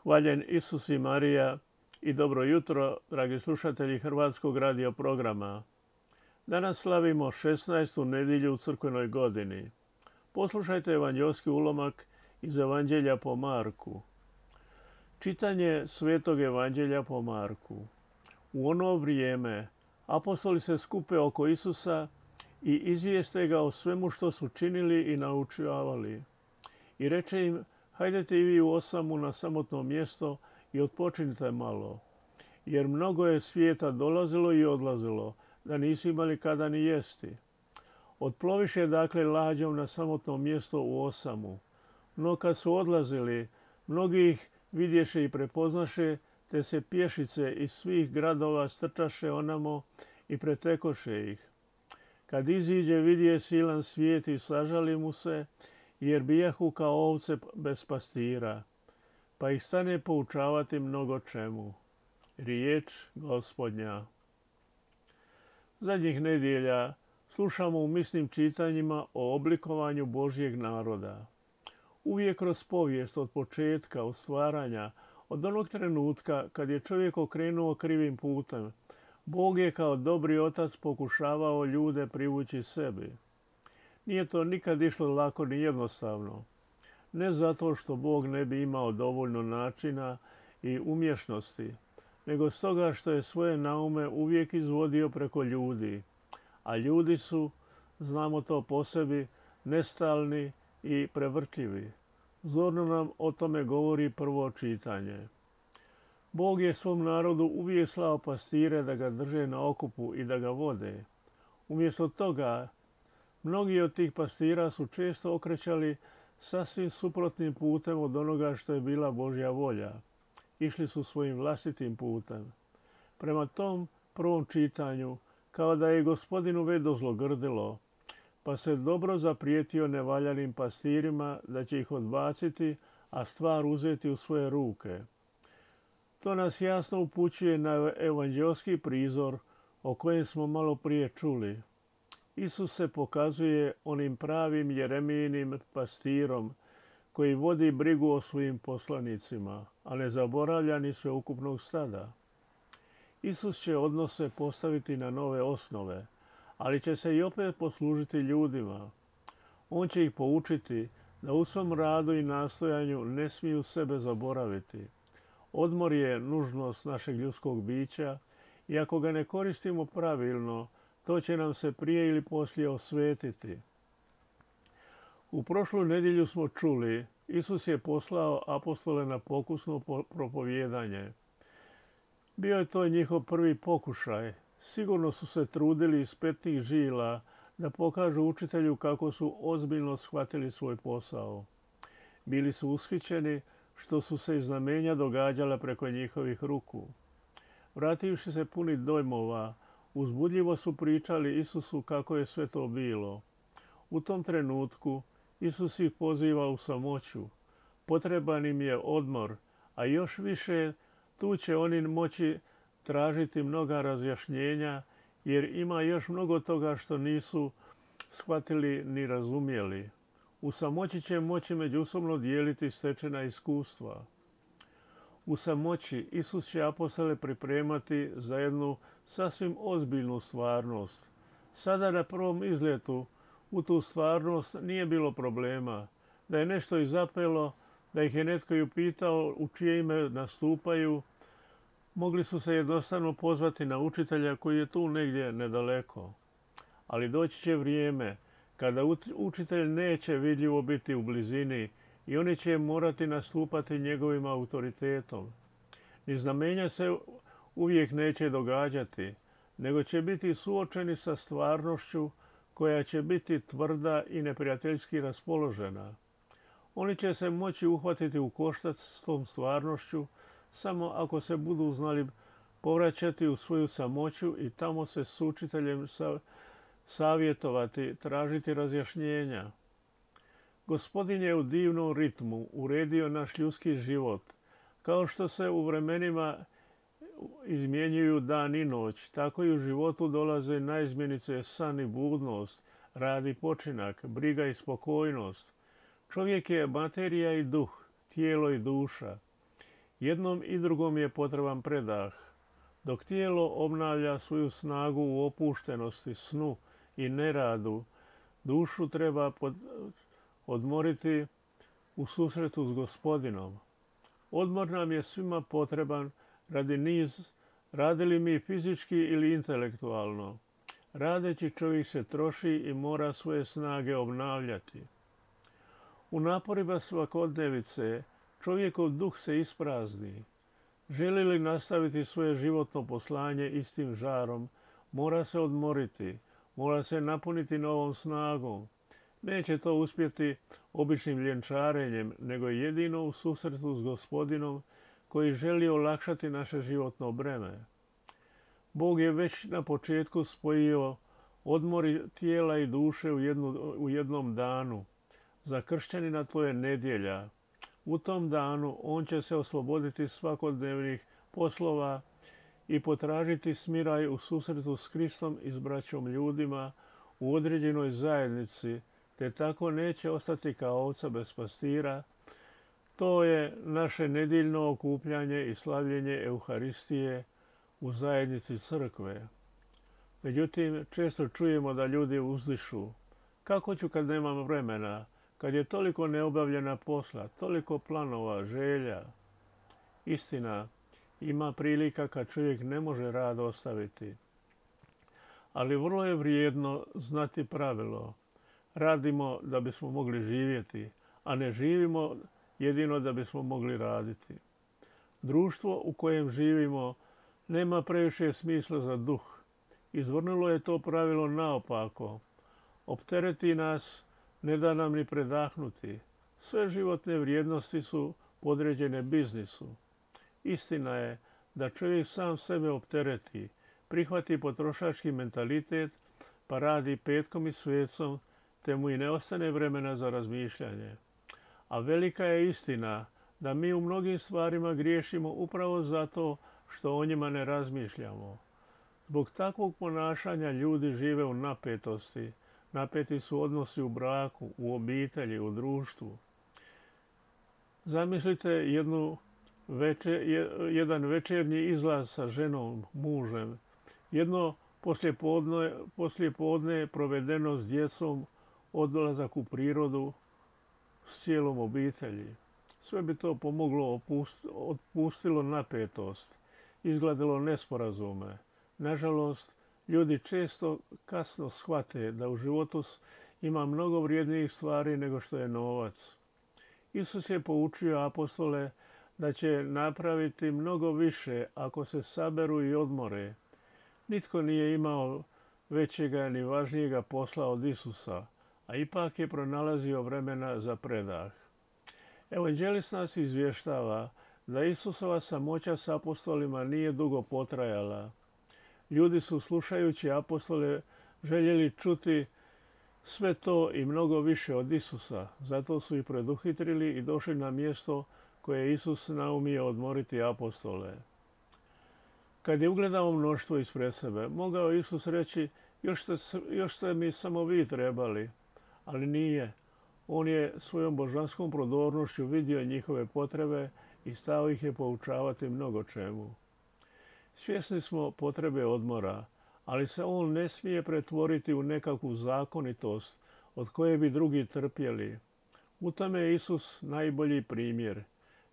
Hvaljen Isus i Marija i dobro jutro, dragi slušatelji Hrvatskog radio programa. Danas slavimo 16. nedjelju u crkvenoj godini. Poslušajte evanđelski ulomak iz Evanđelja po Marku. Čitanje Svetog Evanđelja po Marku. U ono vrijeme apostoli se skupe oko Isusa i izvijeste ga o svemu što su činili i naučavali. I reče im: hajdete i vi u osamu na samotno mjesto i odpočinite malo, jer mnogo je svijeta dolazilo i odlazilo, da nisu imali kada ni jesti. Otploviše dakle lađom na samotno mjesto u osamu. No kad su odlazili, mnogi ih vidješe i prepoznaše, te se pješice iz svih gradova strčaše onamo i pretekoše ih. Kad iziđe, vidje silan svijet i sažali mu se, jer bijahu kao ovce bez pastira, pa ih stane poučavati mnogo čemu. Riječ Gospodnja. Zadnjih nedjelja slušamo u misnim čitanjima o oblikovanju Božjeg naroda. Uvijek kroz povijest od početka, od stvaranja, od onog trenutka kad je čovjek okrenuo krivim putem, Bog je kao dobri otac pokušavao ljude privući sebi. Nije to nikad išlo lako ni jednostavno. Ne zato što Bog ne bi imao dovoljno načina i umješnosti, nego stoga što je svoje naume uvijek izvodio preko ljudi. A ljudi su, znamo to po sebi, nestalni i prevrtljivi. Zorno nam o tome govori prvo čitanje. Bog je svom narodu uvijek slao pastire da ga drže na okupu i da ga vode. Umjesto toga, mnogi od tih pastira su često okrećali sasvim suprotnim putem od onoga što je bila Božja volja. Išli su svojim vlastitim putem. Prema tom prvom čitanju, kao da je Gospodinu već dozlogrdilo, pa se dobro zaprijetio nevaljanim pastirima da će ih odbaciti, a stvar uzeti u svoje ruke. To nas jasno upućuje na evanđelski prizor o kojem smo malo prije čuli. Isus se pokazuje onim pravim Jeremijinim pastirom koji vodi brigu o svojim poslanicima, a ne zaboravlja ni sveukupnog stada. Isus će odnose postaviti na nove osnove, ali će se i opet poslužiti ljudima. On će ih poučiti da u svom radu i nastojanju ne smiju sebe zaboraviti. Odmor je nužnost našeg ljudskog bića i ako ga ne koristimo pravilno, to će nam se prije ili poslije osvetiti. U prošlu nedjelju smo čuli, Isus je poslao apostole na pokusno propovijedanje. Bio je to njihov prvi pokušaj. Sigurno su se trudili iz petnih žila da pokažu učitelju kako su ozbiljno shvatili svoj posao. Bili su ushićeni što su se i znamenja događala preko njihovih ruku. Vrativši se puni dojmova, uzbudljivo su pričali Isusu kako je sve to bilo. U tom trenutku Isus ih poziva u samoću. Potreban im je odmor, a još više tu će oni moći tražiti mnoga razjašnjenja, jer ima još mnogo toga što nisu shvatili ni razumjeli. U samoći će moći međusobno dijeliti stečena iskustva. U samoći Isus će apostole pripremati za jednu sasvim ozbiljnu stvarnost. Sada na prvom izletu u tu stvarnost nije bilo problema. Da je nešto i zapelo, da ih je netko i upitao u čije ime nastupaju, mogli su se jednostavno pozvati na učitelja koji je tu negdje nedaleko. Ali doći će vrijeme kada učitelj neće vidljivo biti u blizini i oni će morati nastupati njegovim autoritetom. Ni znamenja se uvijek neće događati, nego će biti suočeni sa stvarnošću koja će biti tvrda i neprijateljski raspoložena. Oni će se moći uhvatiti u koštac s tom stvarnošću samo ako se budu znali povraćati u svoju samoću i tamo se s učiteljem savjetovati, tražiti razjašnjenja. Gospodin je u divnom ritmu uredio naš ljudski život. Kao što se u vremenima izmjenjuju dan i noć, tako i u životu dolaze naizmjenice san i budnost, rad i počinak, briga i spokojnost. Čovjek je materija i duh, tijelo i duša. Jednom i drugom je potreban predah. Dok tijelo obnavlja svoju snagu u opuštenosti, snu i neradu, dušu treba odmoriti u susretu s Gospodinom. Odmor nam je svima potreban radili mi fizički ili intelektualno. Radeći čovjek se troši i mora svoje snage obnavljati. U naporima svakodnevice čovjekov duh se isprazni. Želi li nastaviti svoje životno poslanje istim žarom, mora se odmoriti, mora se napuniti novom snagom. Neće to uspjeti običnim ljenčarenjem, nego jedino u susretu s Gospodinom koji želi olakšati naše životno breme. Bog je već na početku spojio odmori tijela i duše u jednom danu. Za kršćanina to je nedjelja. U tom danu on će se osloboditi svakodnevnih poslova i potražiti smiraj u susretu s Kristom i s braćom ljudima u određenoj zajednici, te tako neće ostati kao ovca bez pastira. To je naše nedjeljno okupljanje i slavljenje Euharistije u zajednici crkve. Međutim, često čujemo da ljudi uzdišu: kako ću kad nemam vremena, kad je toliko neobavljena posla, toliko planova, želja. Istina, ima prilika kad čovjek ne može rad ostaviti. Ali vrlo je vrijedno znati pravilo: radimo da bismo mogli živjeti, a ne živimo jedino da bismo mogli raditi. Društvo u kojem živimo nema previše smisla za duh. Izvrnulo je to pravilo naopako. Optereti nas, ne da nam ni predahnuti. Sve životne vrijednosti su podređene biznisu. Istina je da čovjek sam sebe optereti, prihvati potrošački mentalitet, pa radi petkom i svecom, te mu i ne ostane vremena za razmišljanje. A velika je istina da mi u mnogim stvarima griješimo upravo zato što o njima ne razmišljamo. Zbog takvog ponašanja ljudi žive u napetosti. Napeti su odnosi u braku, u obitelji, u društvu. Zamislite jedan večernji izlaz sa ženom, mužem. Jedno poslijepodne provedeno s djecom, odlazak u prirodu s cijelom obitelji. Sve bi to pomoglo, otpustilo napetost, izgladilo nesporazume. Nažalost, ljudi često kasno shvate da u životu ima mnogo vrijednijih stvari nego što je novac. Isus je poučio apostole da će napraviti mnogo više ako se saberu i odmore. Nitko nije imao većega ni važnijega posla od Isusa, a ipak je pronalazio vremena za predah. Evanđelist nas izvještava da Isusova samoća s apostolima nije dugo potrajala. Ljudi su, slušajući apostole, željeli čuti sve to i mnogo više od Isusa. Zato su ih preduhitrili i došli na mjesto koje je Isus naumio odmoriti apostole. Kad je ugledao mnoštvo ispred sebe, mogao Isus reći: još ste mi samo vi trebali. Ali nije. On je svojom božanskom prodornošću vidio njihove potrebe i stao ih je poučavati mnogo čemu. Svjesni smo potrebe odmora, ali se on ne smije pretvoriti u nekakvu zakonitost od koje bi drugi trpjeli. U tome je Isus najbolji primjer.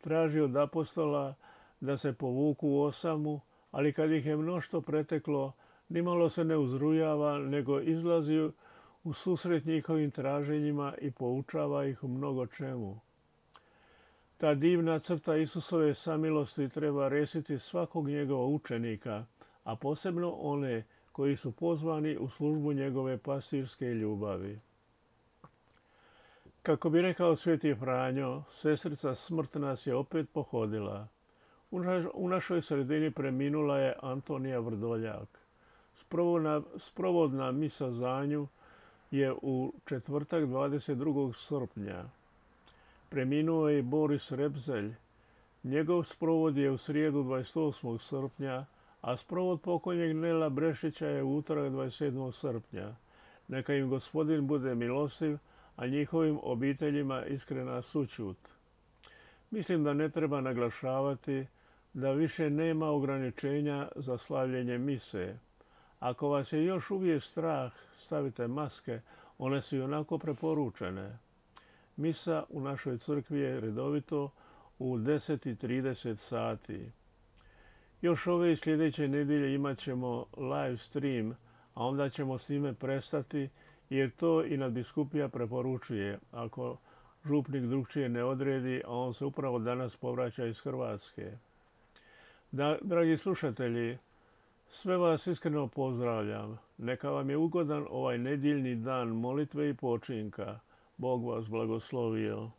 Traži od apostola da se povuku u osamu, ali kad ih je mnoštvo preteklo, nimalo se ne uzrujava, nego izlazi u susret njihovim traženjima i poučava ih u mnogo čemu. Ta divna crta Isusove samilosti treba resiti svakog njegova učenika, a posebno one koji su pozvani u službu njegove pastirske ljubavi. Kako bi rekao sveti Franjo, sestrica smrt nas je opet pohodila. U našoj sredini preminula je Antonija Vrdoljak. Sprovodna misa za nju je u četvrtak 22. srpnja. Preminuo je i Boris Repzelj. Njegov sprovod je u srijedu 28. srpnja, a sprovod pokojnjeg Nela Brešića je u utorak 27. srpnja. Neka im Gospodin bude milostiv, a njihovim obiteljima iskrena sućut. Mislim da ne treba naglašavati da više nema ograničenja za slavljenje mise. Ako vas je još uvijek strah, stavite maske, one su ionako preporučene. Misa u našoj crkvi je redovito u 10:30 sati. Još ove i sljedeće nedjelje imat ćemo live stream, a onda ćemo s time prestati jer to i nadbiskupija preporučuje ako župnik drukčije ne odredi, a on se upravo danas povraća iz Hrvatske. Dragi slušatelji, sve vas iskreno pozdravljam. Neka vam je ugodan ovaj nedjeljni dan molitve i počinka. Bog vas blagoslovio.